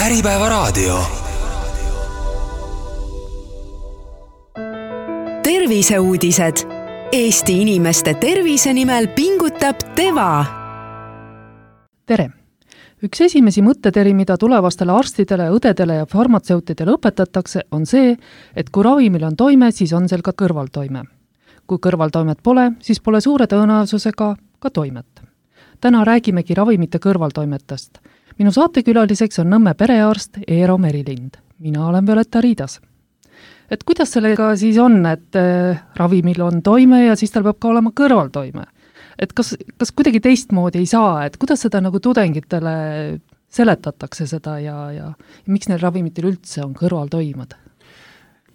Äripäevaraadio. Terviseuudised. Eesti inimeste tervise nimel pingutab Teva. Tere! Üks esimesi mõtteteri, mida tulevastele arstidele, õdedele ja farmatseutidele õpetatakse, on see, et kui ravimil on toime, siis on seal ka kõrvaltoime. Kui kõrvaltoimet pole, siis pole suure tõenäosusega ka toimet. Täna räägimegi ravimite kõrvaltoimetest. Minu saatekülaliseks on Nõmme perearst Eero Merilind. Mina olen Violeta Riidas. Et kuidas sellega siis on, et ravimil on toime ja siis tal peab ka olema kõrvaltoime? Et kas kuidagi teistmoodi ei saa, et kuidas seda nagu tudengitele seletatakse seda ja miks neil ravimitel üldse on kõrvaltoimed?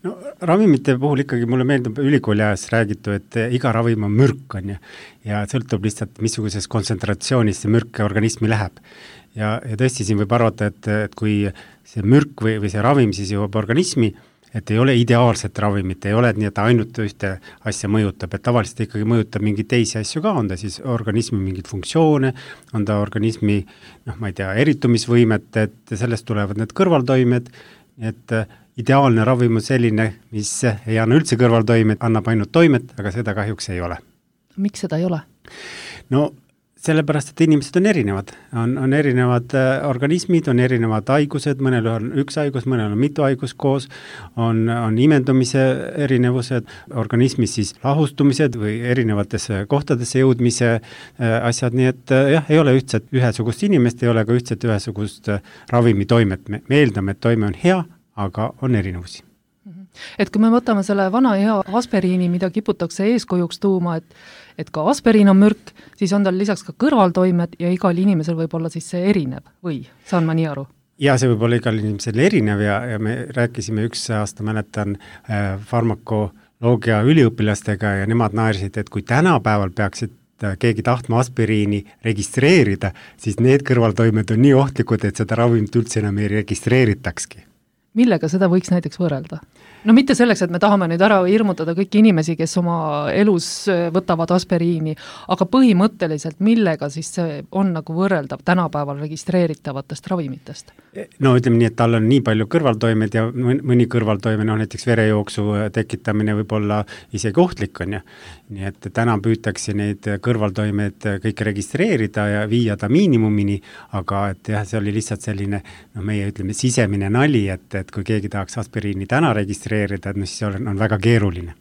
No, ravimite puhul ikkagi mulle meeldib ülikooli ajas räägitu, et iga ravim on mürk on ja sõltub lihtsalt, missuguses kontsentratsioonis see mürk organismi läheb. Ja tõesti siin võib arvata, et kui see mürk või see ravim siis jõuab organismi, et ei ole ideaalset ravimit, ei ole, et nii, et ainult ühte asja mõjutab, et tavaliselt ikkagi mõjutab mingeid teisi asju ka, on ta siis organismi mingid funktsioone, on ta organismi, eritumisvõimet, et sellest tulevad need kõrvaltoimed, et ideaalne ravim on selline, mis ei anna üldse kõrvaltoimet, annab ainult toimet, aga seda kahjuks ei ole. Miks seda ei ole? No sellepärast, et inimesed on erinevad. On erinevad organismid, on erinevad haigused, mõnel on üks haigus, mõnel on mitu haigus koos, on imendumise erinevused, organismis siis lahustumised või erinevatesse kohtadesse jõudmise asjad, nii et jah, ei ole ühesugust inimest, ei ole ka ühesugust ravimitoimet. Me eeldame, et toime on hea, aga on erinevusi. Et kui me võtame selle vana hea aspiriini, mida kiputakse eeskujuks tuuma, et ka aspiriin on mürk, siis on tal lisaks ka kõrvaltoimed ja igal inimesel võib olla siis see erinev või saan ma nii aru? Ja see võib olla igal inimesel erinev ja me rääkisime üks aasta, mäletan, farmakoloogia üliõpilastega ja nemad naersid, et kui tänapäeval peaksid keegi tahtma aspiriini registreerida, siis need kõrvaltoimed on nii ohtlikud, et seda ravimit üldse enam ei registreeritakski. Millega seda võiks näiteks võrrelda? No mitte selleks, et me tahame nüüd ära hirmutada kõiki inimesi, kes oma elus võtavad aspiriini, aga põhimõtteliselt millega siis see on nagu võrreldav tänapäeval registreeritavatest ravimitest? No ütleme nii, et tal on nii palju kõrvaltoimed ja mõni kõrvaltoime, näiteks verejooksu tekitamine võib olla isegi ohtlik on ja. Nii et täna püütakse neid kõrvaltoimed kõik registreerida ja viia ta miinimumini, aga et jah, see oli lihtsalt selline, meie ütleme sisemine nali, et kui keegi tahaks aspiriini täna registreerida, et siis on väga keeruline.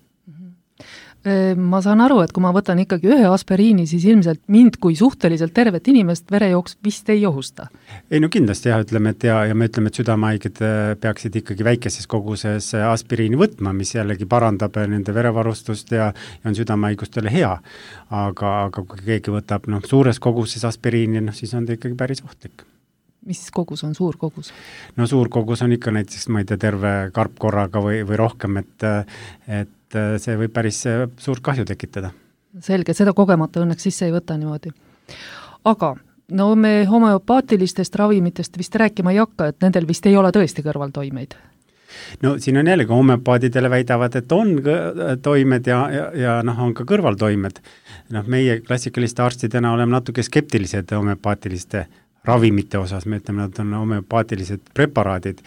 Ma saan aru, et kui ma võtan ikkagi ühe aspiriini, siis ilmselt mind kui suhteliselt tervet inimest verejooks vist ei ohusta. Ei no kindlasti jah, ütleme, et ja me ütleme, et südamehaiged peaksid ikkagi väikeses koguses aspiriini võtma, mis jällegi parandab nende verevarustust ja on südamehaigustele hea. Aga kui keegi võtab suures koguses aspiriini, siis on ta ikkagi päris ohtlik. Mis kogus on suur kogus? No suur kogus on ikka näiteks, terve karp korraga või rohkem, et see võib päris suurt kahju tekitada. Selge, seda kogemata õnneks sisse ei võta niimoodi. Aga me homeopaatilistest ravimitest vist rääkima ei hakka, et nendel vist ei ole tõesti kõrvaltoimeid. No siin on jällegi homeopaadidele väidavad, et on toimed ja on ka kõrvaltoimed. Meie klassikaliste arstidena oleme natuke skeptilised homeopaatiliste ravimite osas, me ütleme, nad on homeopaatilised preparaadid,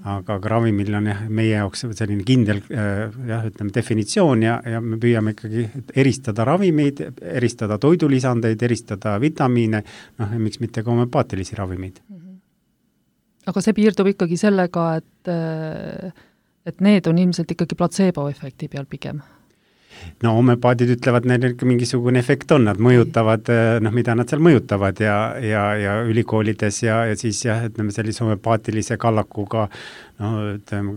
aga ravimil on meie jaoks selline kindel definitsioon ja me püüame ikkagi eristada ravimeid, eristada toidulisandeid, eristada vitamiine, miks mitte ka homeopaatilisi ravimeid. Aga see piirdub ikkagi sellega, et need on ilmselt ikkagi placebo-efekti peal pigem. No homeopaadid ütlevad, neil mingisugune efekt on, nad mõjutavad, mida nad seal mõjutavad ja ülikoolides ja siis ütleme sellise homeopaatilise kallakuga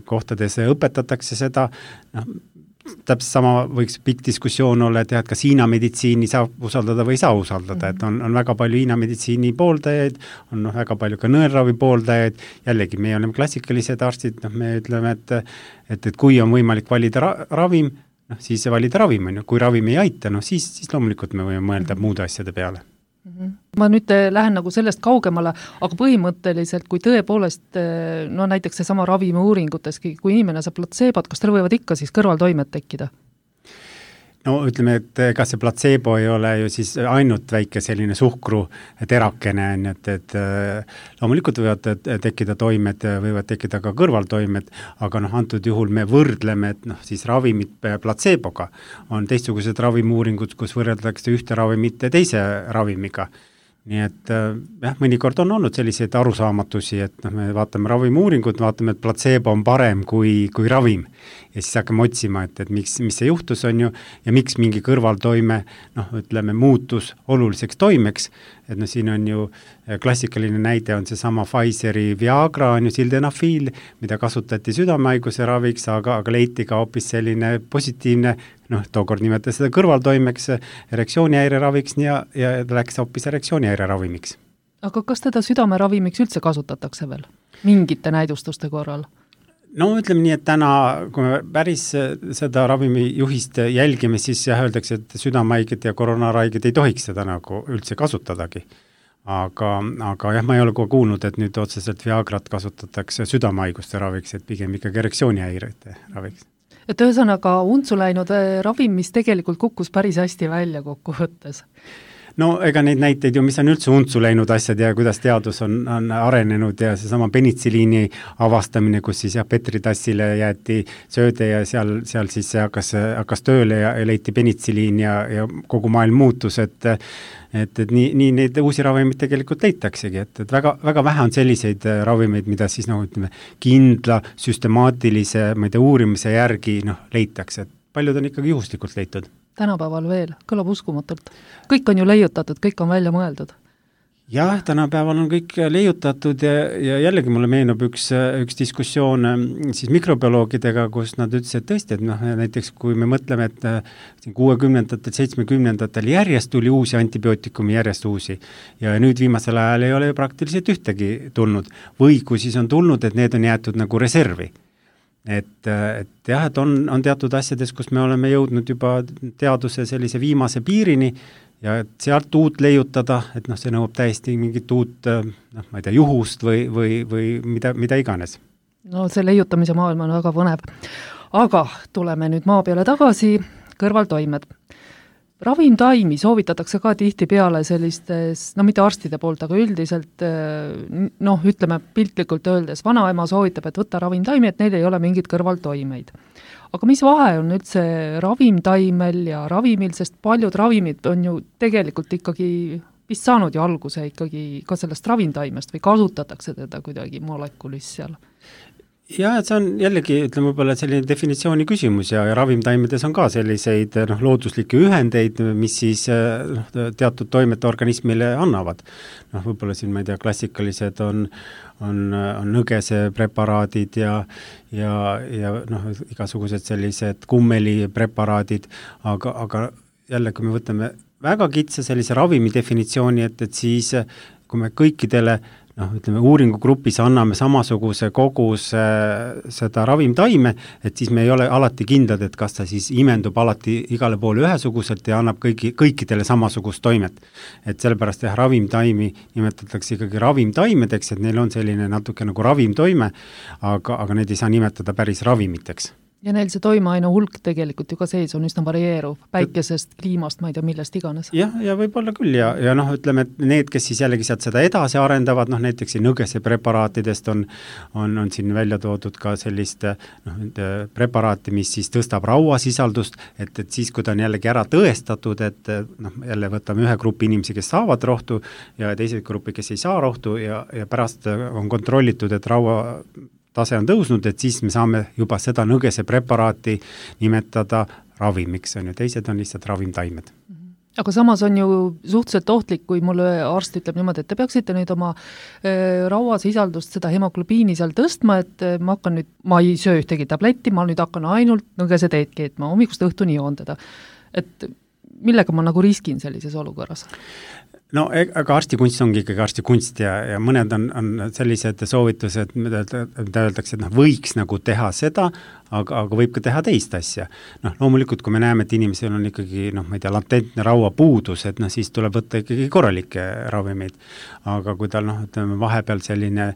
kohtades õpetatakse seda, täpselt sama võiks pikk diskussioon olla, et kas Hiina meditsiini saab usaldada või ei saa usaldada, et on väga palju Hiina meditsiini pooldajaid, on väga palju ka nõelravi pooldajaid, jällegi me oleme klassikalised arstid, me ütleme, et kui on võimalik valida ravim, siis valida ravim on ju, kui ravim ei aita, siis loomulikult me võime mõelda muude asjade peale. Ma nüüd lähen nagu sellest kaugemale, aga põhimõtteliselt, kui tõepoolest, näiteks see sama ravimi uuringuteski, kui inimene saab placebot, kas tal võivad ikka siis kõrvaltoimed tekkida? No ütleme, et ega see platseebo ei ole ju siis ainult väike selline suhkru terakene, et loomulikult võivad tekkida toimed, võivad tekkida ka kõrvaltoimed, aga antud juhul me võrdleme, et siis ravimid platseeboga on teistsugused ravimiuuringud, kus võrreldakse ühte ravimit teise ravimiga. Nii et jah, mõnikord on olnud selliseid arusaamatusi, et me vaatame ravimiuuringut, vaatame, et platseebo on parem kui ravim. Ja siis hakkame otsima, et mis see juhtus on ju, ja miks mingi kõrvaltoime, ütleme, muutus oluliseks toimeks. Et siin on ju klassikaline näide on see sama Pfizeri Viagra, on ju sildenafil, mida kasutati südamehaiguse raviks, aga leiti ka hoopis selline positiivne, tookord nimetas seda kõrvaltoimeks, erektsioonihäire raviks ja läks hoopis erektsioonihäire ravimiks. Aga kas teda südameravimiks üldse kasutatakse veel? Mingite näidustuste korral? No ütleme nii, et täna, kui me päris seda ravimijuhist jälgime, siis öeldakse, et südamehaiged ja koroonaraiged ei tohiks seda nagu üldse kasutadagi. Aga jah, ma ei ole kogu kuulnud, et nüüd otseselt Viagrat kasutatakse südamehaiguste raviks, et pigem ikkagi erektsioonihäirete raviks. Et ühesõnaga untsu läinud ravim, mis tegelikult kukkus päris hästi välja kokku võttes. No ega neid näiteid ju, mis on üldse untsu läinud asjad ja kuidas teadus on arenenud ja seesama penitsiliini avastamine, kus siis Petritassile jäeti sööde ja seal siis see hakkas tööle ja leiti penitsiliin ja kogu maailm muutus, et nii neid uusi ravimeid tegelikult leitaksegi, et väga, väga vähe on selliseid ravimeid, mida siis ütleme, kindla, süstemaatilise uurimise järgi leitakse, et paljud on ikkagi juhuslikult leitud. Tänapäeval veel, kõlab uskumatult. Kõik on ju leiutatud, kõik on välja mõeldud. Jah, tänapäeval on kõik leiutatud ja jällegi mulle meenub üks diskussioon siis mikrobioloogidega, kus nad ütlesid tõesti, et näiteks kui me mõtleme, et 60-ndatel, 70-ndatel järjest tuli uusi antibiootikumi, järjest uusi ja nüüd viimasel ajal ei ole praktiliselt ühtegi tulnud või kui siis on tulnud, et need on jäetud nagu reservi. Et jah, et on teatud asjades, kus me oleme jõudnud juba teaduse sellise viimase piirini ja sealt uut leiutada, et see nõuab täiesti mingit uut, ma ei tea, juhust või mida iganes. No see leiutamise maailm on väga põnev. Aga tuleme nüüd maa peale tagasi, kõrvaltoimed. Ravimtaimi soovitatakse ka tihti peale sellistes, mitte arstide poolt, aga üldiselt, ütleme piltlikult öeldes, vanaema soovitab, et võtta ravimtaimi, et neil ei ole mingid kõrvaltoimeid. Aga mis vahe on üldse ravimtaimel ja ravimil, sest paljud ravimid on ju tegelikult ikkagi vist saanud ju alguse ikkagi ka sellest ravimtaimest või kasutatakse teda kuidagi molekulis seal? Ja, et see on jällegi, ütleme võib-olla selline definitsiooni küsimus ja ravimtaimedes on ka selliseid looduslikke ühendeid, mis siis teatud toimete organismile annavad. Võib-olla siin, ma ei tea, klassikalised on nõgese preparaadid ja igasugused sellised kummeli preparaadid, aga jälle, kui me võtame väga kitsa sellise ravimi definitsiooni, et siis kui me kõikidele ütleme, uuringugrupis anname samasuguse koguse seda ravimtaime, et siis me ei ole alati kindlad, et kas ta siis imendub alati igale poole ühesuguselt ja annab kõikidele samasugust toimet. Et sellepärast ravimtaimi nimetatakse ikkagi ravimtaimedeks, et neil on selline natuke nagu ravimtoime, aga need ei saa nimetada päris ravimiteks. Ja neil see toimeaine hulk tegelikult ju ka sees on üsna varieeruv, päikesest, kliimast, ma ei tea, millest iganes. Ja võib-olla küll ja ütleme, et need, kes siis jällegi sealt seda edasi arendavad, näiteks nõgese preparaatidest on siin välja toodud ka sellist preparaati, mis siis tõstab rauasisaldust, et siis, kui ta on jällegi ära tõestatud, et jälle võtame ühe grupi inimesi, kes saavad rohtu ja teised grupi, kes ei saa rohtu ja pärast on kontrollitud, et raua tase on tõusnud, et siis me saame juba seda nõgese preparaati nimetada ravimiks, on ju, teised on lihtsalt ravimtaimed. Aga samas on ju suhteliselt ohtlik, kui mulle arst ütleb niimoodi, et te peaksite nüüd oma rauasisaldust, seda hemoglobiini seal tõstma, et ma ei söö ühtegi tabletti, ma nüüd hakkan ainult nõgese teed keetma, hommikust õhtuni joondada. Et millega ma nagu riskin sellises olukorras? No aga arstikunst ongi ikkagi arstikunst ja mõned on sellised soovitused, mida öeldakse, et võiks nagu teha seda, aga võib ka teha teist asja. Loomulikult, kui me näeme, et inimesel on ikkagi, ma ei tea, latentne rauapuudus, et siis tuleb võtta ikkagi korralikke ravimeid. Aga kui tal, ütleme, vahepeal selline,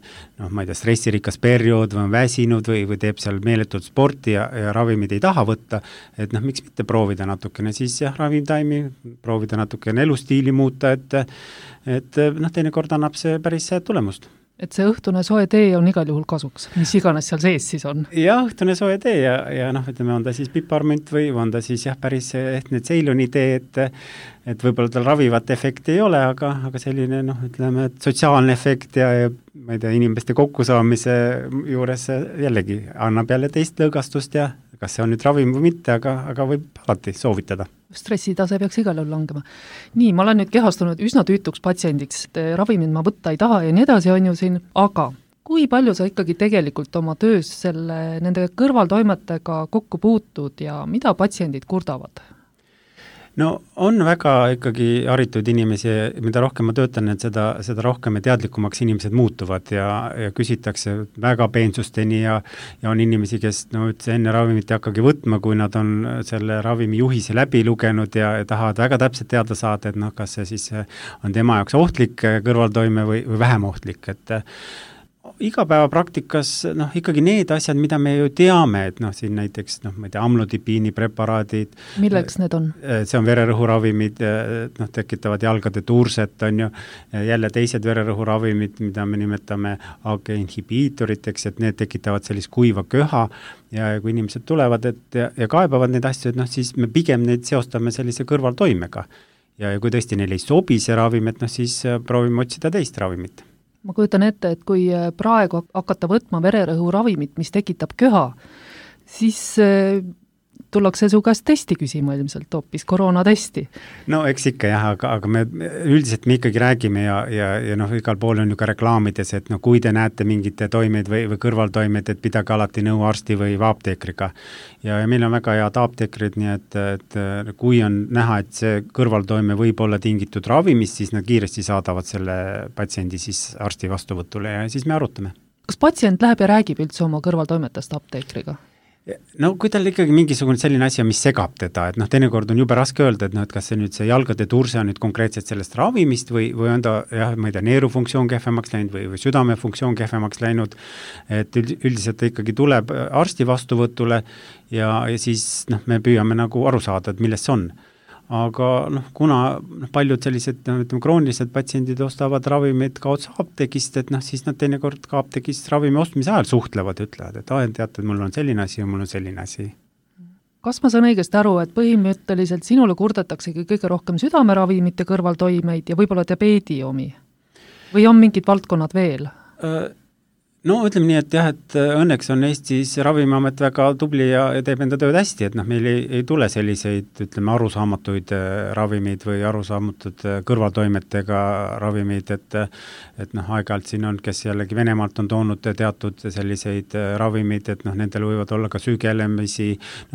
ma ei tea, stressirikas periood või on väsinud või teeb seal meeletult sporti ja ravimid ei taha võtta, et miks mitte proovida natukene siis ravimtaimi, proovida natukene elustiili muuta, et teinekord annab see päris tulemust. Et see õhtune soe tee on igal juhul kasuks, mis iganes seal sees siis on? Jah, õhtune soe tee ja ütleme, on ta siis piparmünt või on ta siis päris ehtne Ceyloni tee, et võib-olla tal ravivat efekti ei ole, aga selline, ütleme, sotsiaalne efekt ja ma ei tea, inimeste kokkusaamise juures jällegi annab jälle teist lõõgastust ja kas see on nüüd ravim või mitte, aga võib alati soovitada. Stressitase peaks igal juhul langema. Nii, ma olen nüüd kehastunud üsna tüütuks patsiendiks, ravimid ma võtta ei taha ja nii edasi on ju siin, aga kui palju sa ikkagi tegelikult oma töös nende kõrvaltoimetega kokku puutud ja mida patsiendid kurdavad? No on väga ikkagi haritud inimesi, mida rohkem ma töötan, et seda rohkem ja teadlikumaks inimesed muutuvad ja küsitakse väga peensusteni ja on inimesi, kes üldse enne ravimit ei hakkagi võtma, kui nad on selle ravimi juhise läbi lugenud ja tahavad väga täpselt teada saada, et kas see siis on tema jaoks ohtlik kõrvaltoime või vähem ohtlik, et igapäevapraktikas ikkagi need asjad, mida me ju teame, et siin näiteks ma ei tea, amlodipiini preparaadid. Milleks need on? See on vererõhuravimid, tekitavad jalgade turset, on ju, jälle teised vererõhuravimid, mida me nimetame AG-inhibiitoriteks, et need tekitavad sellist kuiva köha ja kui inimesed tulevad ja kaebavad neid asju, et siis me pigem neid seostame sellise kõrvaltoimega. Ja kui tõesti neil ei sobi see ravim, et siis proovime otsida teist ravimit. Ma kujutan ette, et kui praegu hakata võtma vererõhuravimit, mis tekitab köha, siis tullakse su käest testi küsima ilmselt, hoopis koroonatesti. No eks ikka jah, aga me üldiselt me ikkagi räägime ja igal pool on ju ka reklaamides, et kui te näete mingite toimeid või kõrvaltoimeid, et pidage alati nõu arsti või apteekriga. Ja meil on väga head apteekrid, nii et kui on näha, et see kõrvaltoime võib olla tingitud ravimist, siis nad kiiresti saadavad selle patsiendi siis arsti vastuvõtule ja siis me arutame. Kas patsient läheb ja räägib üldse oma kõrvaltoimetest apteekriga? No kui tal ikkagi mingisugune selline asi, mis segab teda, et teinekord on jube raske öelda, et kas see nüüd see jalgade turse on nüüd konkreetselt sellest ravimist või on ta, ma ei tea, neerufunktsioon kehvemaks läinud või südamefunktsioon kehvemaks läinud, et üldiselt ta ikkagi tuleb arsti vastuvõtule ja siis me püüame nagu aru saada, et milles see on. Aga kuna paljud sellised kroonilised patsiendid ostavad ravimid ka otsa apteegist, et siis nad teinekord ka apteegist ravimi ostmise ajal suhtlevad ja ütlevad, et teate, mul on selline asi ja mul on selline asi. Kas ma saan õigesti aru, et põhimõtteliselt sinule kurdetaksegi kõige rohkem südameravimite kõrvaltoimeid ja võib-olla diabeedi omi? Või on mingid valdkonnad veel? No ütleme nii, et jah, et õnneks on Eestis Ravimiamet väga tubli ja teeb enda tööd hästi, et meil ei tule selliseid, ütleme, arusaamatuid ravimeid või arusaamatud kõrvaltoimetega ravimeid, et aeg-ajalt siin on, kes jällegi Venemaalt on toonud teatud selliseid ravimeid, et nendel võivad olla ka sügelemisi,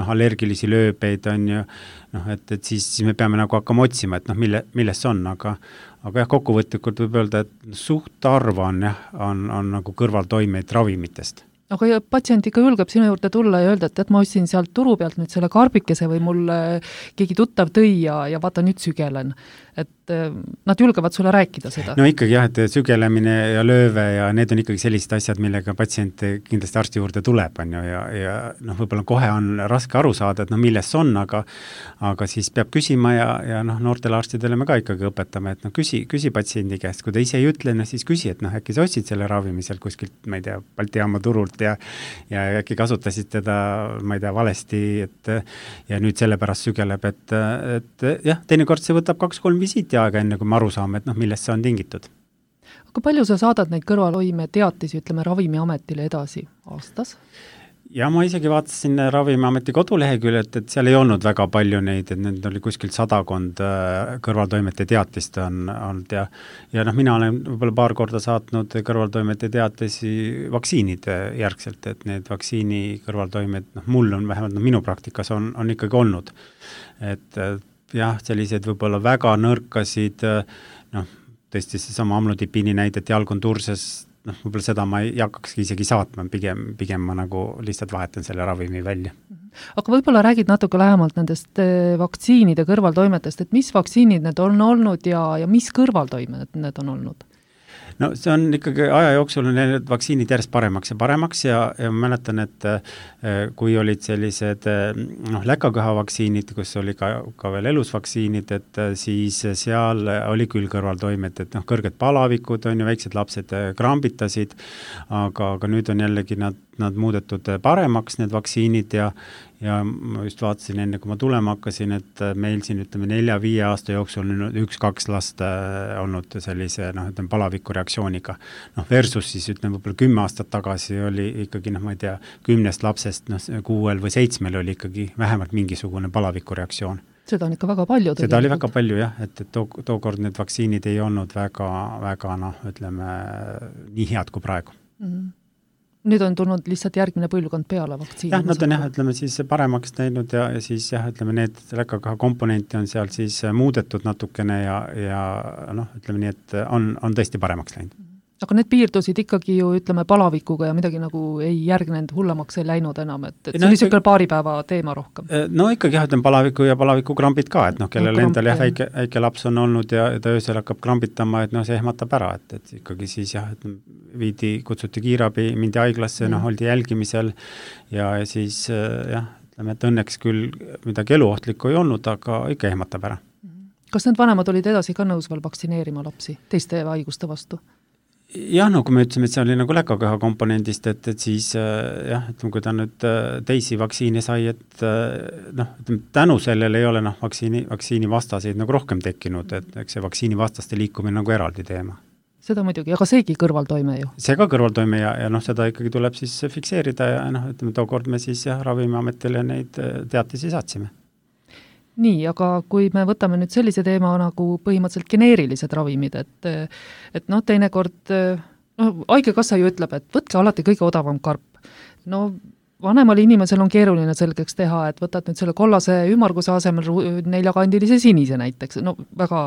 allergilisi lööbeid on ju, et siis me peame nagu hakkama otsima, et milles see on, aga jah, kokkuvõtlikult võib öelda, et suht arva on nagu kõrvaltoimeid ravimitest. Aga patsient ikka julgeb sinu juurde tulla ja öelda, et ma ostsin sealt turu pealt nüüd selle karbikese või mul keegi tuttav tõi ja vaata nüüd sügelen. Et nad julgevad sulle rääkida seda. No ikkagi jah, et sügelemine ja lööve ja need on ikkagi sellised asjad, millega patsient kindlasti arsti juurde tuleb, on ju, ja võib-olla kohe on raske aru saada, et milles on, aga siis peab küsima ja noortele arstidele me ka ikkagi õpetame, et küsi patsiendi käest, kui ta ise ei ütle, siis küsi, et äkki sa ostsid selle ravimi sealt kuskilt, ma ei tea, Balti jaama turult ja äkki kasutasid teda, ma ei tea, valesti, ja nüüd sellepärast sügeleb, et jah, teinekord see võtab 2-3 visiiti aega, enne kui me aru saame, et millest see on tingitud. Aga palju sa saadad neid kõrvaltoime teatisi, ütleme, Ravimiametile edasi aastas? Ja ma isegi vaatasin Ravimiameti koduleheküljelt, et seal ei olnud väga palju neid, et need oli kuskilt 100 kõrvaltoimete teatist on olnud ja mina olen võib-olla paar korda saatnud kõrvaltoimete teatisi vaktsiinide järgselt, et need vaktsiini kõrvaltoimed, mul on vähemalt minu praktikas on ikkagi olnud. Et jah, sellised võib-olla väga nõrkasid, tõesti see sama amlodipiini näidet, jalg on turses, võib-olla seda ma ei hakkakski isegi saatma, pigem ma nagu lihtsalt vahetan selle ravimi välja. Aga võib-olla räägid natuke lähemalt nendest vaktsiinide kõrvaltoimetest, et mis vaktsiinid need on olnud ja mis kõrvaltoimed need on olnud? No see on ikkagi aja jooksul on need vaktsiinid järjest paremaks ja ma mäletan, et kui olid sellised läkaköha vaktsiinid, kus oli ka veel elusvaktsiinid, et siis seal oli küll kõrvaltoimed, et kõrged palavikud on ju, väiksed lapsed krambitasid, aga nüüd on jällegi nad muudetud paremaks, need vaktsiinid ja ma just vaatasin enne, kui ma tulema hakkasin, et meil siin 4-5 aasta jooksul on 1-2 last olnud sellise palaviku reaktsiooniga. Versus siis võib-olla 10 aastat tagasi oli ikkagi, ma ei tea, 10 lapsest 6 või 7 oli ikkagi vähemalt mingisugune palaviku reaktsioon. Seda on ikka väga palju. Seda oli väga palju jah, et tookord need vaktsiinid ei olnud väga nii head kui praegu. Nüüd on tulnud lihtsalt järgmine põlvkond peale vaktsiini. Jah, nad on siis paremaks teinud ja siis need läkaköha komponenti on seal siis muudetud natukene ja nii, et on tõesti paremaks läinud. Aga need piirdusid ikkagi ju, palavikuga ja midagi nagu ei järgnenud, hullemaks ei läinud enam, et see oli siuke paari päeva teema rohkem. No ikkagi palaviku ja palavikukrambid ka, et kellel endal väike laps on olnud ja ta öösel hakkab krambitama, et see ehmatab ära, et ikkagi siis kutsuti kiirabi, mindi haiglasse, oldi jälgimisel ja siis et õnneks küll midagi eluohtlikku ei olnud, aga ikka ehmatab ära. Kas need vanemad olid edasi ka nõus veel vaktsineerima lapsi teiste haiguste vastu? Jah, kui me ütlesime, et see oli läkaköha komponendist, et siis kui ta nüüd teisi vaktsiine sai, et tänu sellele ei ole vaktsiini vastaseid rohkem tekkinud, et eks see vaktsiini vastaste liikumine eraldi teema. Seda muidugi, aga seegi kõrvaltoime ju. See ka kõrvaltoime ja seda ikkagi tuleb siis fikseerida ja tookord me siis Ravimiametile neid teatisi saatsime. Nii, aga kui me võtame nüüd sellise teema nagu põhimõtteliselt geneerilised ravimid, et teinekord, haigekassa ju ütleb, et võtke alati kõige odavam karp. Vanemal inimesel on keeruline selgeks teha, et võtad nüüd selle kollase ümmarguse asemel 4-kandilise sinise näiteks, väga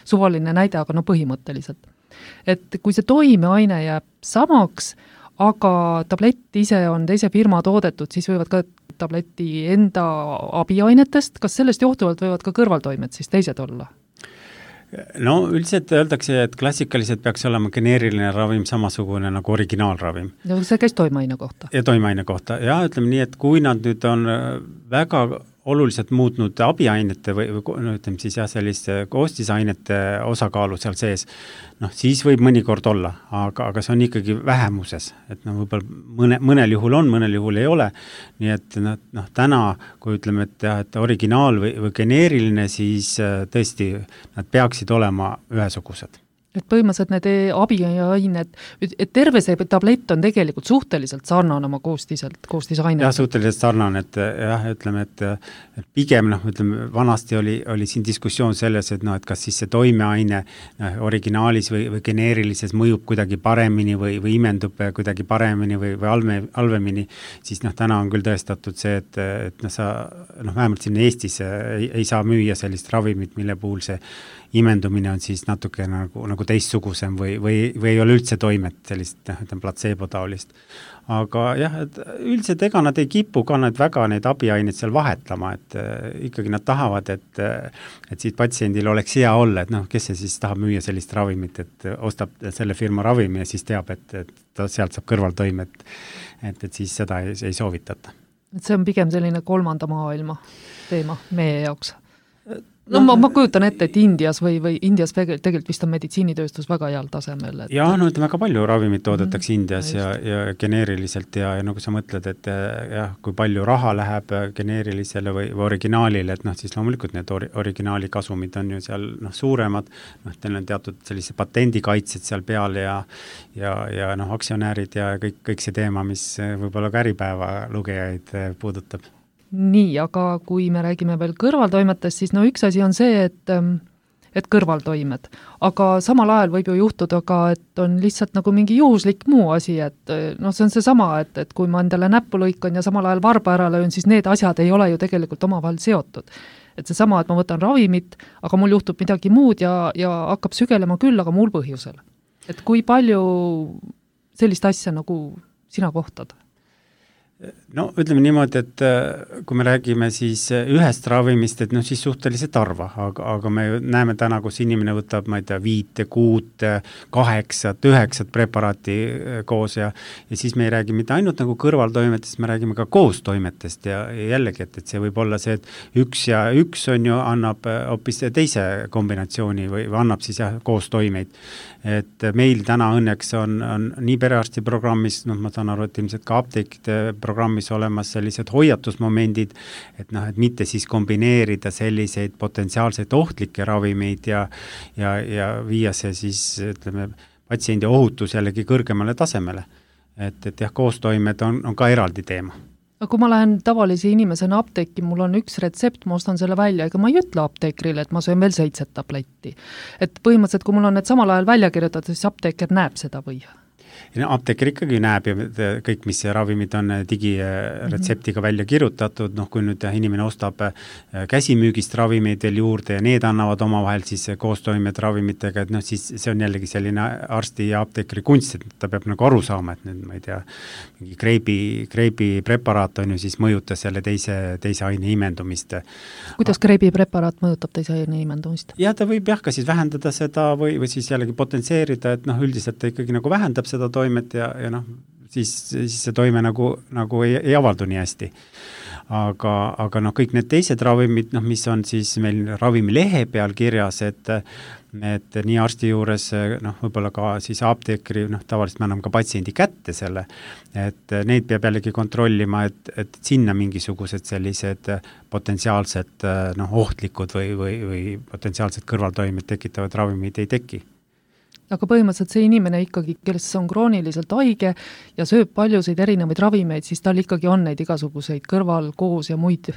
suvaline näide, aga põhimõtteliselt. Et kui see toimeaine jääb samaks, aga tablett ise on teise firma toodetud, siis võivad ka tableti enda abiainetest, kas sellest johtuvalt võivad ka kõrvaltoimed siis teised olla? Üldiselt öeldakse, et klassikaliselt peaks olema geneeriline ravim samasugune nagu originaalravim. Ja see käis toimeaine kohta? Ja toimeaine kohta. Ja ütleme nii, et kui nad nüüd on väga oluliselt muutnud abiainete või selliste koostisainete osakaalu seal sees, siis võib mõnikord olla, aga see on ikkagi vähemuses, et võib-olla mõnel juhul on, mõnel juhul ei ole, nii et täna, kui ütleme, et originaal või geneeriline, siis tõesti nad peaksid olema ühesugused. Et põhimõtteliselt need abiained, et terve see tablett on tegelikult suhteliselt sarnane oma koostisainet. Jah, suhteliselt sarnane, et ütleme, et pigem, vanasti oli siin diskussioon selles, et kas siis see toimeaine originaalis või geneerilises mõjub kuidagi paremini või imendub kuidagi paremini või halvemini, siis täna on küll tõestatud see, et sa vähemalt siin Eestis ei saa müüa sellist ravimit, mille puhul see imendumine on siis natuke nagu teistsugusem või ei ole üldse toimet sellist platseebo-taolist. Aga jah, et üldiselt ega nad ei kipu ka väga neid abiaineid seal vahetama, et ikkagi nad tahavad, et siit patsiendil oleks hea olla, et kes see siis tahab müüa sellist ravimit, et ostab selle firma ravimi ja siis teab, et ta sealt saab kõrvaltoimet, et siis seda ei soovitata. Et see on pigem selline kolmanda maailma teema meie jaoks. Ma kujutan ette, et Indias või Indias tegelikult vist on meditsiinitööstus väga heal tasemel. Ja väga palju ravimit toodetakse Indias ja geneeriliselt ja nagu sa mõtled, et kui palju raha läheb geneerilisele või originaalile, et siis loomulikult need originaali kasumid on ju seal suuremad, teil on teatud sellise patendikaitsed seal peal ja aktsionäärid ja kõik see teema, mis võib-olla ka Äripäeva lugejaid puudutab. Nii, aga kui me räägime veel kõrvaltoimetest, siis üks asi on see, et kõrvaltoimed, aga samal ajal võib ju juhtuda ka, et on lihtsalt nagu mingi juhuslik muu asi, et see on see sama, et kui ma endale näppu lõikan ja samal ajal varba ära löön, siis need asjad ei ole ju tegelikult omavahel seotud. Et see sama, et ma võtan ravimit, aga mul juhtub midagi muud ja hakkab sügelema küll, aga muul põhjusel. et kui palju sellist asja nagu sina kohtad? No ütleme niimoodi, et kui me räägime siis ühest ravimist, et siis suhteliselt harva, aga me näeme täna, kus inimene võtab, ma ei tea, 5, 6, 8, 9 preparaati koos ja siis me ei räägi mitte ainult nagu kõrvaltoimetest, me räägime ka koostoimetest ja jällegi, et see võib olla see, et üks ja üks on ju annab hoopis teise kombinatsiooni või annab siis koostoimeid. Et meil täna õnneks on nii perearsti programmis, ma saan aru, et ilmselt ka apteekide programmis olemas sellised hoiatusmomendid, et mitte siis kombineerida selliseid potentsiaalseid ohtlikke ravimeid ja viia see siis, ütleme, patsiendi ohutus jällegi kõrgemale tasemele. Et jah, koostoimed on ka eraldi teema. Aga kui ma lähen tavalise inimesena apteeki, mul on üks retsept, ma ostan selle välja, ega ma ei ütle apteekrile, et ma söön veel 7 tabletti. Et põhimõtteliselt, kui mul on need samal ajal välja kirjutatud, siis apteeker näeb seda või? Apteeker ikkagi näeb ja kõik, mis ravimid on digiretseptiga välja kirjutatud, kui nüüd inimene ostab käsimüügist ravimeid veel juurde ja need annavad omavahel siis koostoimed ravimitega, et siis see on jällegi selline arsti ja apteekri kunst, et ta peab nagu aru saama, et nüüd, ma ei tea, mingi kreibi preparaat on ju siis mõjutas selle teise aine imendumist. Kuidas kreibi preparaat mõjutab teise aine imendumist? Ja ta võib ka siis vähendada seda või siis jällegi potentseerida, et üldiselt ta ikkagi nagu vähendab seda toimet ja siis see toime nagu ei avaldu nii hästi. Aga kõik need teised ravimid, mis on siis meil ravimilehe peal kirjas, et nii arsti juures, võib-olla ka siis apteekri, tavaliselt me anname ka patsiendi kätte selle, et neid peab jällegi kontrollima, et sinna mingisugused sellised potentsiaalsed ohtlikud või potentsiaalsed kõrvaltoimed tekitavad ravimid ei teki. Aga põhimõtteliselt see inimene ikkagi, kes on krooniliselt haige ja sööb paljusid erinevaid ravimeid, siis tal ikkagi on neid igasuguseid kõrvalkoos ja muid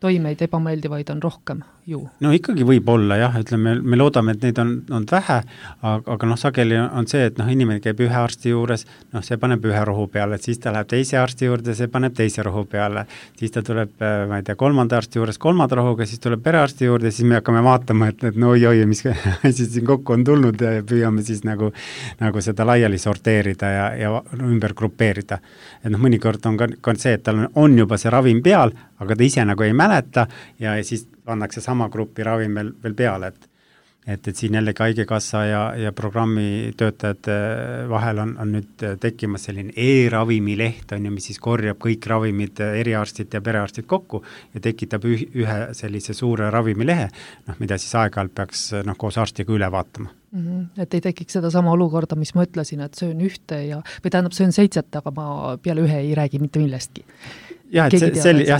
toimeid ebameeldivaid on rohkem ju. No ikkagi võib olla jah, ütleme, me loodame, et neid on vähe, aga sageli on see, et inimene käib ühe arsti juures, see paneb ühe rohu peale, siis ta läheb teise arsti juurde, see paneb teise rohu peale, siis ta tuleb, ma ei tea, kolmanda arsti juures kolmanda rohuga, siis tuleb perearsti juurde, siis me hakkame vaatama, et oi, mis siis siin kokku on tulnud ja püüame siis nagu seda laiali sorteerida ja ümber grupeerida. Et mõnikord on ka see, et tal on juba see ravim peal, aga ta ise nagu ei mäleta ja siis pannakse sama grupi ravim veel peale, et siin jällegi haigekassa ja programmi töötajate vahel on nüüd tekkimas selline e-ravimileht, mis siis korjab kõik ravimid, eriarstid ja perearstid kokku ja tekitab ühe sellise suure ravimilehe, mida siis aeg-ajalt peaks koos arstiga üle vaatama. Et ei tekiks seda sama olukorda, mis ma ütlesin, et söön ühte või tähendab söön 7, aga ma peale ühe ei räägi mitte millestki. Jah,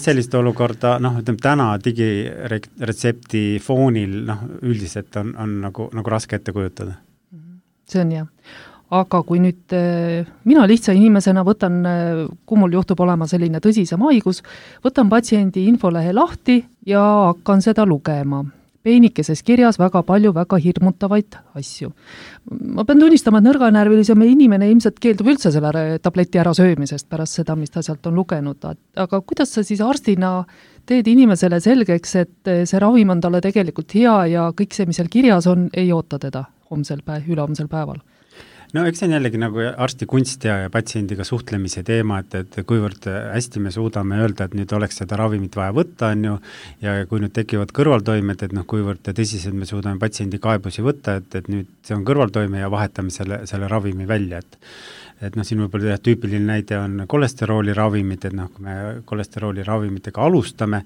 sellist olukorda, ütleme täna digiretsepti foonil üldiselt on nagu raske ette kujutada. See on jah. Aga kui nüüd mina lihtsa inimesena võtan, kui mul juhtub olema selline tõsisem haigus, võtan patsiendi infolehe lahti ja hakkan seda lugema. Peenikeses kirjas väga palju väga hirmutavaid asju. Ma pean tunnistama, et nõrganärvilisem inimene ilmselt keeldub üldse selle tableti ära söömisest pärast seda, mis ta sealt on lugenud. Aga kuidas sa siis arstina teed inimesele selgeks, et see ravim on talle tegelikult hea ja kõik see, mis seal kirjas on, ei oota teda ülehomsel päeval? No eks see on jällegi nagu arsti kunst ja patsiendiga suhtlemise teema, et kuivõrd hästi me suudame öelda, et nüüd oleks seda ravimit vaja võtta, on ju, ja kui nüüd tekivad kõrvaltoimed, et kuivõrd tõsiselt me suudame patsiendi kaebusi võtta, et nüüd see on kõrvaltoime ja vahetame selle ravimi välja, et siin võib-olla tüüpiline näide on kolesterooli ravimid, et kui me kolesterooli ravimitega alustame,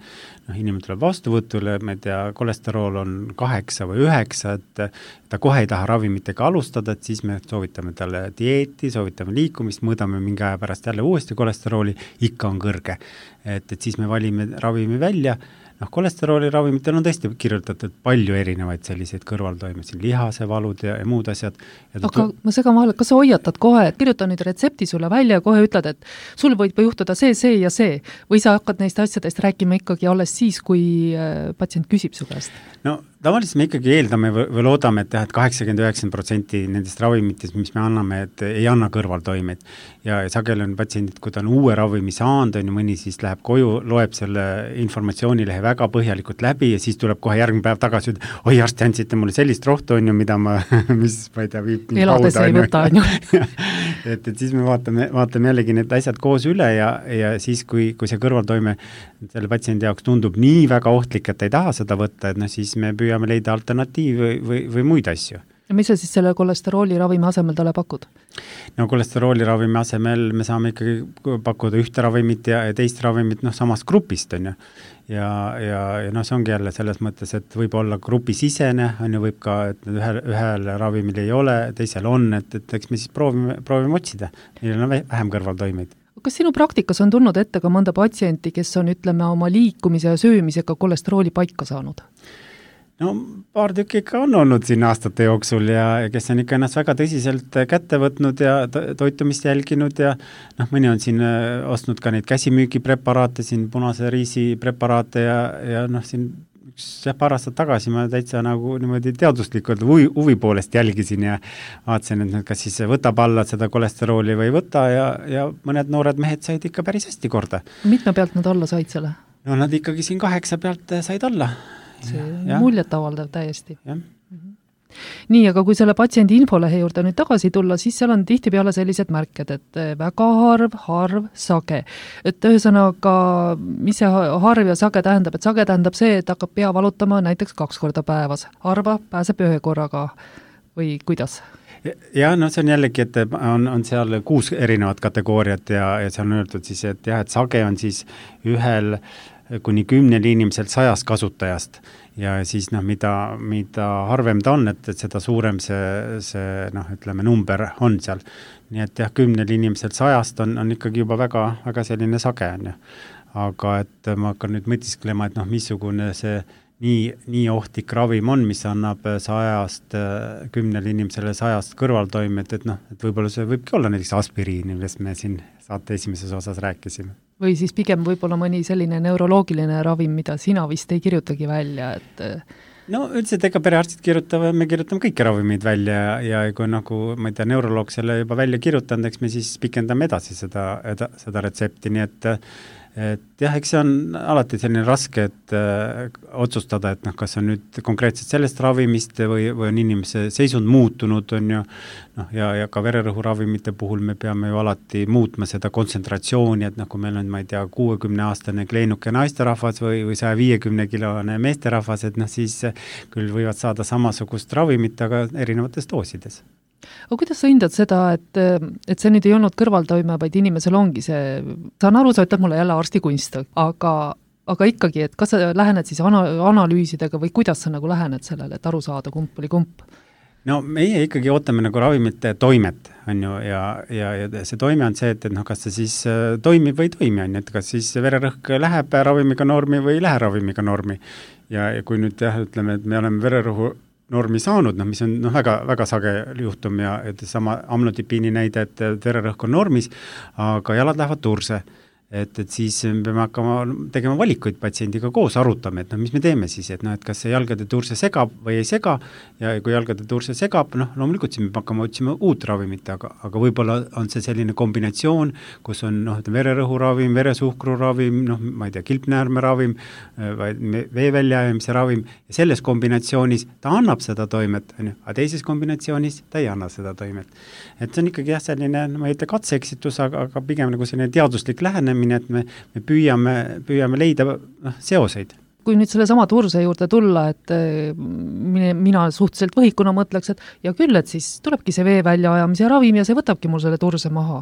inimene tuleb vastuvõtule, ma ei tea, kolesterool on 8 või 9, et ta kohe ei taha ravimitega alustada, et siis me soovitame talle dieeti, soovitame liikumist, mõõdame mingi aja pärast jälle uuesti kolesterooli, ikka on kõrge. Et siis me valime ravimi välja, kolesterooli ravimitel on tõesti kirjutatud palju erinevaid selliseid kõrvaltoimed, siin lihasevalud ja muud asjad. Aga ma segan vahele, kas sa hoiatad kohe, et kirjuta nüüd retsepti sulle välja ja kohe ütled, et sul võib juhtuda see ja see, või sa hakkad neist asjadest rääkima ikkagi alles siis, kui patsient küsib su käest? No tavaliselt me ikkagi eeldame või loodame, et 80-90% nendest ravimitest, mis me anname, et ei anna kõrvaltoimeid. Ja sageli on patsiendid, kui ta on uue ravimi saanud, on ju mõni siis läheb koju, loeb selle informatsioonilehe väga põhjalikult läbi ja siis tuleb kohe järgmine päev tagasi, oi arsti, andsite mulle sellist rohtu, on ju, mida ma, mis ma ei tea, viib elades ei võta, on ju. et siis me vaatame jällegi need asjad koos üle ja siis, kui see kõrvaltoime selle patsiendi jaoks tundub nii väga ohtlik, et ei taha seda võtta, et siis me püüame leida alternatiivi või muid asju. Ja mis sa siis selle kolesterooli ravimi asemel talle pakud? No kolesterooli ravimi asemel me saame ikkagi pakkuda ühte ravimit ja teist ravimit samast grupist, on ju. Ja see ongi jälle selles mõttes, et võib olla grupisisene, on ju, võib ka, et ühel ravimil ei ole, teisel on, et eks me siis proovime otsida, neil on vähem kõrvaltoimeid. Kas sinu praktikas on tulnud ette ka mõnda patsienti, kes on, ütleme, oma liikumise ja söömisega kolesterooli paika saanud? No paar tükki ikka on olnud siin aastate jooksul ja kes on ikka ennast väga tõsiselt kätte võtnud ja toitumist jälginud ja mõni on siin ostnud ka neid käsimüügipreparaate, siin punase riisi preparaate ja siin paar aastat tagasi ma täitsa nagu niimoodi teaduslikult huvi poolest jälgisin ja vaatasin, et kas siis võtab alla seda kolesterooli või ei võta ja mõned noored mehed said ikka päris hästi korda. Mitme pealt nad alla said selle? No nad ikkagi siin 8 pealt said alla. See muljet avaldav täiesti. Jah. Nii, aga kui selle patsiendi infolehe juurde nüüd tagasi tulla, siis seal on tihtipeale sellised märked, et väga harv, sage. Et ühesõnaga, mis see harv ja sage tähendab? Et sage tähendab see, et hakkab pea valutama näiteks 2 korda päevas. Harva pääseb 1 korraga või kuidas? Ja see on jällegi, et on seal 6 erinevat kategooriat ja seal on öeldud siis, et jah, et sage on siis 1 kuni 10 inimeselt 100 kasutajast ja siis mida harvem ta on, et seda suurem see ütleme, number on seal. Nii et jah, 10 inimeselt 100 on ikkagi juba väga, väga selline sage on ju. Aga et ma hakkan nüüd mõtisklema, et missugune see nii ohtlik ravim on, mis annab 100 10 inimesele 100 kõrvaltoimet, et võib-olla see võibki olla näiteks aspiriin, millest me siin saate esimeses osas rääkisime. Või siis pigem võib-olla mõni selline neuroloogiline ravim, mida sina vist ei kirjutagi välja, et no üldiselt ega perearstid me kirjutame kõiki ravimeid välja ja kui ma ei tea, neuroloog selle juba välja kirjutanud, eks me siis pikendame edasi seda retsepti, nii et jah, eks see on alati selline raske, et otsustada, et kas on nüüd konkreetselt sellest ravimist või on inimese seisund muutunud, on ju, ja ka vererõhuravimite puhul me peame ju alati muutma seda kontsentratsiooni, et kui meil on, ma ei tea, 60-aastane kleenuke naisterahvas või 150-kilone meesterahvas, et siis küll võivad saada samasugust ravimit, aga erinevates doosides. Aga kuidas sa hindad seda, et see nüüd ei olnud kõrvaltoime, vaid inimesel ongi see, saan aru, sa ütled mulle jälle arsti kunst, aga ikkagi, et kas sa lähened siis analüüsidega või kuidas sa lähened sellele, et aru saada, kump oli kump? No meie ikkagi ootame ravimite toimet, on ju, ja see toime on see, et kas see siis toimib või ei toimi, on ju, et kas siis vererõhk läheb ravimiga normi või ei lähe ravimiga normi. Ja kui nüüd ütleme, et me oleme vererõhu normi saanud, mis on väga, väga sage juhtum ja sama amlodipiini näide, et vererõhk on normis, aga jalad lähevad turse. Et siis me peame hakkama tegema valikuid patsiendiga koos, arutame, et mis me teeme siis, et kas see jalgade turse segab või ei sega ja kui jalgade turse segab, loomulikult siis me hakkame otsima uut ravimit, aga võib-olla on see selline kombinatsioon, kus on vererõhuravim, veresuhkruravim, ma ei tea, kilpnäärmeravim, vee väljaajamise ravim ja selles kombinatsioonis ta annab seda toimet, aga teises kombinatsioonis ta ei anna seda toimet. Et see on ikkagi selline, ma ei ütle katseeksitus, aga pigem selline teaduslik lähenemine, et me püüame leida seoseid. Kui nüüd selle sama turse juurde tulla, et mina suhteliselt võhikuna mõtleks, et ja küll, et siis tulebki see vee väljaajamise ravim ja see võtabki mul selle turse maha.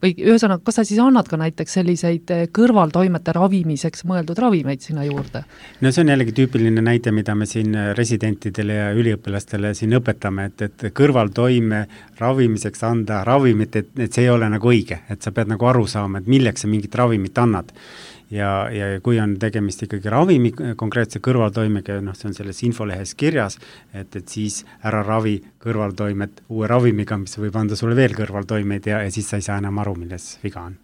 Või ühesõnaga, kas sa siis annad ka näiteks selliseid kõrvaltoimete ravimiseks mõeldud ravimeid sinna juurde? No see on jällegi tüüpiline näide, mida me siin residentidele ja üliõpilastele siin õpetame, et kõrvaltoime ravimiseks anda ravimit, et see ei ole õige, et sa pead aru saama, et milleks sa mingit ravimit annad. Ja kui on tegemist ikkagi ravimi konkreetse kõrvaltoimega, see on selles infolehes kirjas, et siis ära ravi kõrvaltoimet uue ravimiga, mis võib anda sulle veel kõrvaltoimeid ja siis sa ei saa enam aru, milles viga on.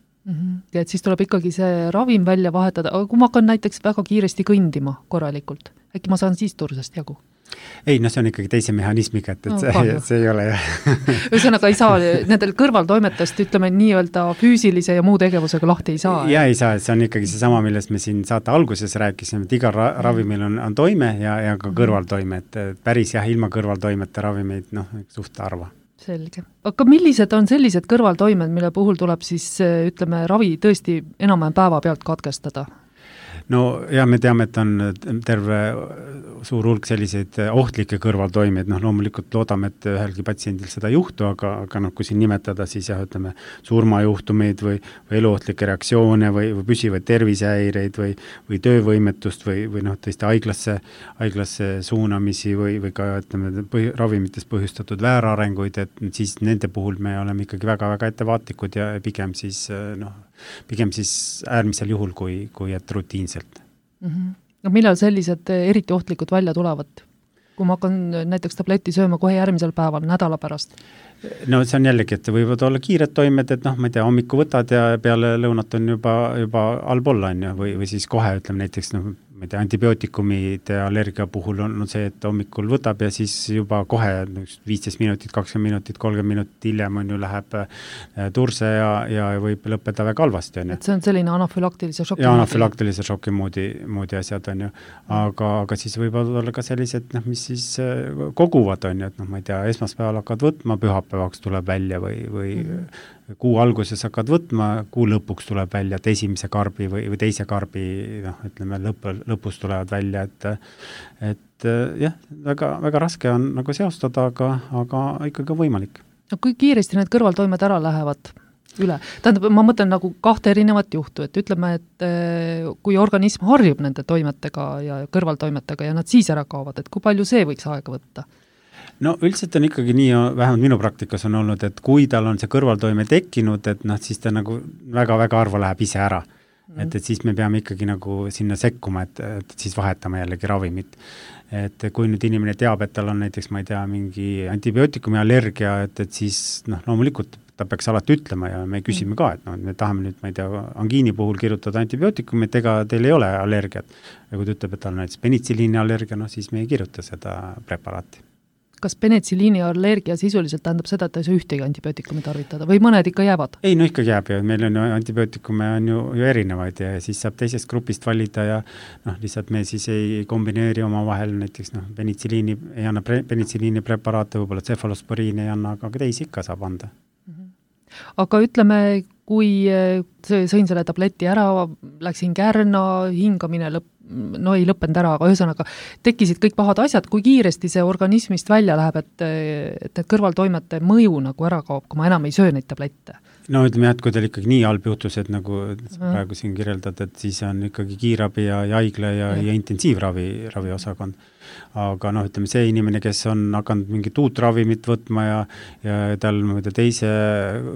Ja et siis tuleb ikkagi see ravim välja vahetada, aga kui ma hakkan näiteks väga kiiresti kõndima korralikult, äkki ma saan siis tursest jagu? ei, no see on ikkagi teise mehhanismiga, et see ei ole jah. Ühesõnaga ei saa nendel kõrvaltoimetest, ütleme nii-öelda füüsilise ja muu tegevusega lahti ei saa? Ja ei saa, see on ikkagi seesama, millest me siin saate alguses rääkisime, et igal ravimil on toime ja ka kõrvaltoime, et päris jah, ilma kõrvaltoimete ravimeid, suht harva. Selge. Aga millised on sellised kõrvaltoimed, mille puhul tuleb siis, ütleme, ravi tõesti enam-vähem päeva pealt katkestada? No ja me teame, et on terve suur hulk selliseid ohtlikke kõrvaltoimeid, loomulikult loodame, et ühelgi patsiendil seda ei juhtu, aga kui siin nimetada, siis jah, ütleme, surmajuhtumeid või eluohtlikke reaktsioone või püsivaid tervisehäireid või töövõimetust või tõesti haiglasse suunamisi või ka, ütleme, ravimitest põhjustatud väärarenguid, et siis nende puhul me oleme ikkagi väga-väga ettevaatlikud ja pigem siis äärmisel juhul, kui et rutiinselt. No millal sellised eriti ohtlikud välja tulevad? Kui ma hakkan näiteks tableti sööma kohe järgmisel päeval, nädala pärast? No see on jällegi, et võivad olla kiired toimed, et ma ei tea, hommiku võtad ja peale lõunat on juba allpool on ju, või siis kohe ütleme näiteks, ma ei tea, antibiootikumide allergia puhul on see, et hommikul võtab ja siis juba kohe 15 minutit, 20 minutit, 30 minutit hiljem on ju läheb turse ja võib lõppeda väga halvasti. Et see on selline anafülaktilise šoki ja anafülaktilise šoki moodi asjad on ju, aga siis võib olla ka sellised, mis siis koguvad on ju, et ma ei tea, esmaspäeval hakkad võtma, pühapäevaks tuleb välja või kuu alguses hakkad võtma, kuu lõpuks tuleb välja, et esimese karbi või teise karbi, ütleme, lõpus tulevad välja, et jah, väga raske on nagu seostada, aga ikkagi võimalik. No kui kiiresti need kõrvaltoimed ära lähevad üle? Tähendab, ma mõtlen nagu kahte erinevat juhtu, et ütleme, et kui organism harjub nende toimetega ja kõrvaltoimetega ja nad siis ära kaovad, et kui palju see võiks aega võtta? No üldiselt on ikkagi nii, vähemalt minu praktikas on olnud, et kui tal on see kõrvaltoime tekkinud, et siis ta nagu väga-väga harva läheb ise ära. Et siis me peame ikkagi nagu sinna sekkuma, et siis vahetame jällegi ravimit. Et kui nüüd inimene teab, et tal on näiteks, ma ei tea, mingi antibiootikumi allergia, et siis loomulikult ta peaks alati ütlema ja me küsime ka, et me tahame nüüd, ma ei tea, angiini puhul kirjutada antibiootikumi, et ega teil ei ole allergiat. Ja kui ta ütleb, et tal on näiteks penitsiliini allergia, siis me ei kirjuta seda preparaati. Kas penitsiliini allergia sisuliselt tähendab seda, et ta ei saa ühtegi antibiootikumi tarvitada või mõned ikka jäävad? Ei, no ikka jääb ju, meil on antibiootikume on ju erinevaid ja siis saab teisest grupist valida ja lihtsalt me siis ei kombineeri oma vahel näiteks penitsiliini, ei anna penitsiliini preparaate, võib-olla cefalosporiini ei anna, aga teisi ikka saab anda. Aga ütleme, kui sõin selle tableti ära, läksin kärna, hingamine ei lõppenud ära, aga ühesõnaga tekkisid kõik pahad asjad, kui kiiresti see organismist välja läheb, et need kõrvaltoimete mõju nagu ära kaob, kui ma enam ei söö neid tablette? No ütleme jah, et kui teil ikkagi nii halb juhtus, et nagu praegu siin kirjeldad, et siis on ikkagi kiirabi ja haigla ja intensiivravi osakond. Aga ütleme see inimene, kes on hakanud mingit uut ravimit võtma ja tal teise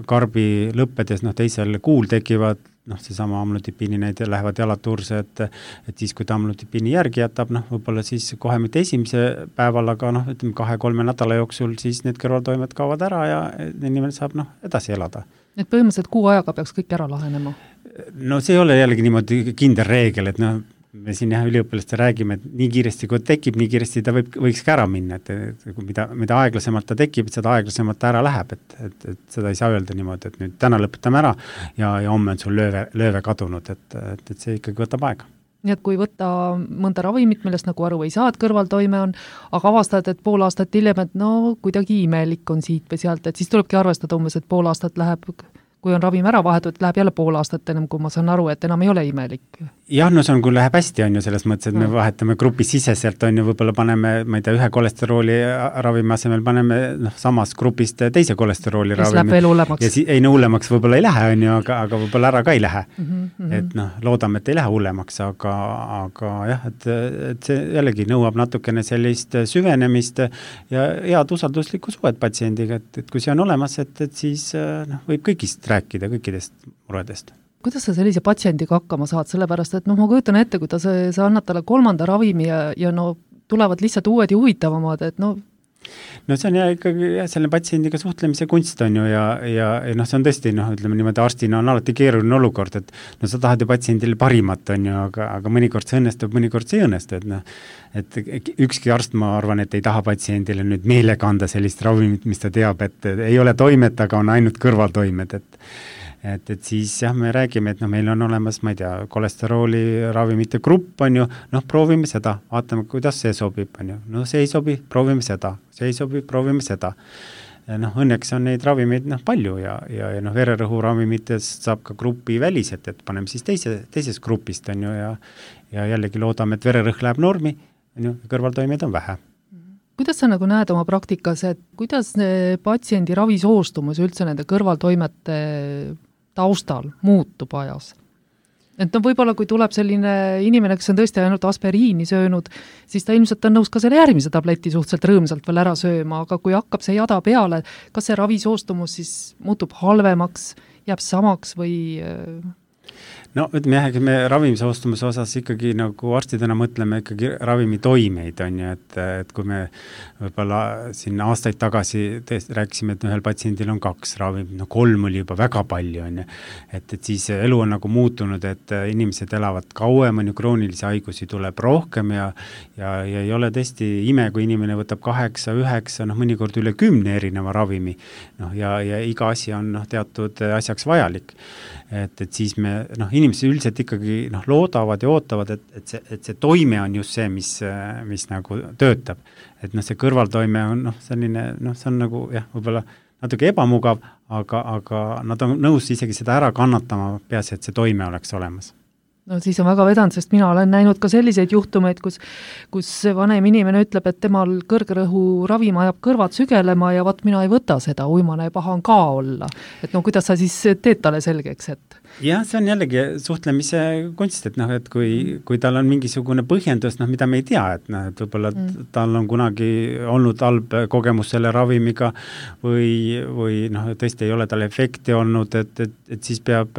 karbi lõppedes, teisel kuul tekivad seesama amlotipiini näide lähevad jalad turse, et siis kui ta amlotipiini järgi jätab, võib-olla siis kohe mitte esimese päeval, aga ütleme 2-3 nädala jooksul siis need kõrvaltoimed kaovad ära ja inimene saab edasi elada. Et põhimõtteliselt kuu ajaga peaks kõik ära lahenema? No see ei ole jällegi niimoodi kindel reegel, et me siin üliõpilaste räägime, et nii kiiresti kui tekib, nii kiiresti ta võiks ka ära minna, et mida aeglasemalt ta tekib, seda aeglasemalt ta ära läheb, et seda ei saa öelda niimoodi, et nüüd täna lõpetame ära ja homme on sul lööve kadunud, et see ikkagi võtab aega. Nii et kui võtta mõnda ravimit, millest nagu aru ei saa, et kõrvaltoime on, aga avastad, et pool aastat hiljem, et kuidagi imelik on siit või sealt, et siis tulebki arvestada umbes, et pool aastat läheb, kui on ravim ära vahetud, läheb jälle pool aastat enam, kui ma saan aru, et enam ei ole imelik. Jah, see on, kui läheb hästi, on ju selles mõttes, et me vahetame grupi siseselt, on ju, võib-olla paneme, ma ei tea, ühe kolesterooli ravimi asemel paneme samas grupist teise kolesterooli ravimi. Mis läheb veel hullemaks. Ei, hullemaks võib-olla ei lähe, on ju, aga võib-olla ära ka ei lähe. Et loodame, et ei lähe hullemaks, aga jah, et see jällegi nõuab natukene sellist süvenemist ja head usalduslikku suhet patsiendiga, et kui see on olemas, et siis võib kõigist rääkida, kõikidest muredest. Kuidas sa sellise patsiendiga hakkama saad, sellepärast, et ma kujutan ette, kui sa annad talle 3. ravimi ja tulevad lihtsalt uued ja huvitavamad, et no see on ikkagi selle patsiendiga suhtlemise kunst on ju ja noh, see on tõesti, ütleme niimoodi, arstina on alati keeruline olukord, et no sa tahad ju patsiendile parimat on ju, aga mõnikord see õnnestub, mõnikord see ei õnnestu, et ükski arst, ma arvan, et ei taha patsiendile nüüd meelega anda sellist ravimit, mis ta teab, et ei ole toimet, aga on ainult kõrvaltoimed, et siis jah, me räägime, et meil on olemas, ma ei tea, kolesterooli ravimite grupp on ju, proovime seda, vaatame, kuidas see sobib, on ju, see ei sobi, proovime seda, see ei sobi, proovime seda. Õnneks on neid ravimeid palju ja vererõhuravimitest saab ka grupi väliselt, et paneme siis teises grupist on ju ja jällegi loodame, et vererõhk läheb normi, on ju, kõrvaltoimeid on vähe. Kuidas sa näed oma praktikas, et kuidas patsiendi ravisoostumus üldse nende kõrvaltoimete taustal muutub ajas? Et võib-olla kui tuleb selline inimene, kes on tõesti ainult aspiriini söönud, siis ta ilmselt on nõus ka selle järgmise tableti suhteliselt rõõmsalt veel ära sööma, aga kui hakkab see jada peale, kas see ravisoostumus siis muutub halvemaks, jääb samaks või... No ütleme jah, me ravimisoostumuse osas ikkagi nagu arstidena mõtleme ikkagi ravimi toimeid on ju, et kui me võib-olla siin aastaid tagasi rääkisime, et ühel patsiendil on 2 ravimit, 3 oli juba väga palju on ju, et siis elu on nagu muutunud, et inimesed elavad kauem, on ju, kroonilisi haigusi tuleb rohkem ja ei ole tõesti ime, kui inimene võtab 8, 9, mõnikord üle 10 erineva ravimi, ja iga asi on teatud asjaks vajalik. Et siis me, inimesed üldiselt ikkagi loodavad ja ootavad, et see toime on just see, mis nagu töötab. Et see kõrvaltoime on selline, see on nagu jah, võib-olla natuke ebamugav, aga nad on nõus isegi seda ära kannatama, peaasi, et see toime oleks olemas. No siis on väga vedanud, sest mina olen näinud ka selliseid juhtumeid, kus vanem inimene ütleb, et temal kõrgrõhu ravim ajab kõrvad sügelema ja mina ei võta seda, uimane ja paha on ka olla. Et kuidas sa siis teed talle selgeks, et... Jah, see on jällegi suhtlemise kunst, et kui tal on mingisugune põhjendus, mida me ei tea, et võib-olla tal on kunagi olnud halb kogemus selle ravimiga või tõesti ei ole tal efekti olnud, et siis peab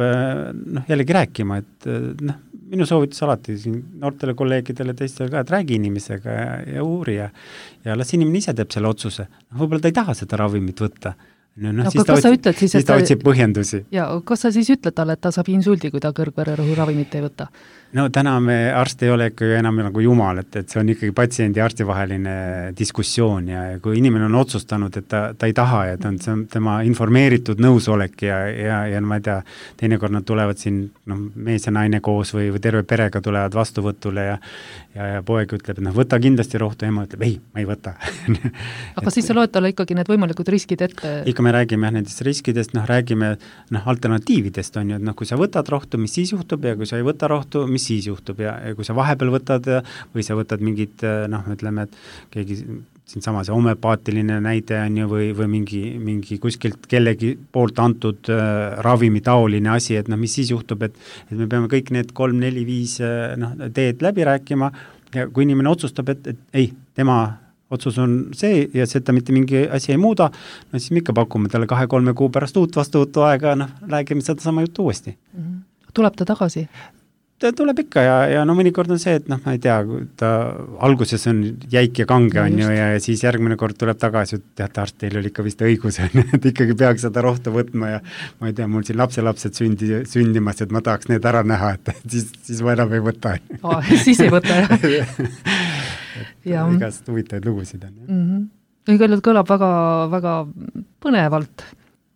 jällegi rääkima, et minu soovitus alati siin noortele kolleegidele teistele ka, et räägi inimesega ja uuri ja las inimene ise teeb selle otsuse. Võib-olla ta ei taha seda ravimit võtta. Siis ta otsib põhjendusi. Ja kas sa siis ütled talle, et ta saab insuldi, kui ta kõrgvererõhu ravimit ei võta? No täna me arst ei ole ikkagi enam nagu jumal, et see on ikkagi patsiendi ja arsti vaheline diskussioon ja kui inimene on otsustanud, et ta ei taha ja see on tema informeeritud nõusolek ja ma ei tea, teinekord nad tulevad siin mees ja naine koos või terve perega tulevad vastuvõtule ja poeg ütleb, et võta kindlasti rohtu, ema ütleb, ei, ma ei võta. Aga siis sa loed talle ikkagi need võimalikud riskid ette? Ikka me räägime nendest riskidest, räägime alternatiividest on ju, et kui sa võtad rohtu, mis siis juhtub ja kui sa ei võta rohtu, mis siis juhtub ja kui sa vahepeal võtad või sa võtad mingid, ütleme, et keegi siin sama see homeopaatiline näide on ju või mingi kuskilt kellegi poolt antud ravimi taoline asi, et mis siis juhtub, et me peame kõik need 3, 4, 5 teed läbi rääkima ja kui inimene otsustab, et ei, tema otsus on see ja seda mitte mingi asi ei muuda, siis me ikka pakume talle 2-3 kuu pärast uut vastuvõtu aega, räägime seda sama juttu uuesti. Tuleb ta tagasi? Ta tuleb ikka ja mõnikord on see, et ma ei tea, ta alguses on jäik ja kange on ju ja siis järgmine kord tuleb tagasi, et teate, arst, teil oli ikka vist õigus, et ikkagi peaks seda rohtu võtma ja ma ei tea, mul siin lapselapsed sündimas, et ma tahaks need ära näha, et siis ma enam ei võta. Siis ei võta, jah. Igast huvitavaid lugusid on. Kõigepealt kõlab väga, väga põnevalt.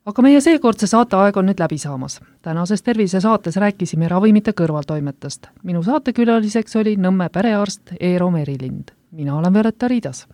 Aga meie seekordse saateaeg on nüüd läbi saamas. Tänases tervisesaates rääkisime ravimite kõrvaltoimetest. Minu saatekülaliseks oli Nõmme perearst Eero Merilind. Mina olen Violetta Riidas.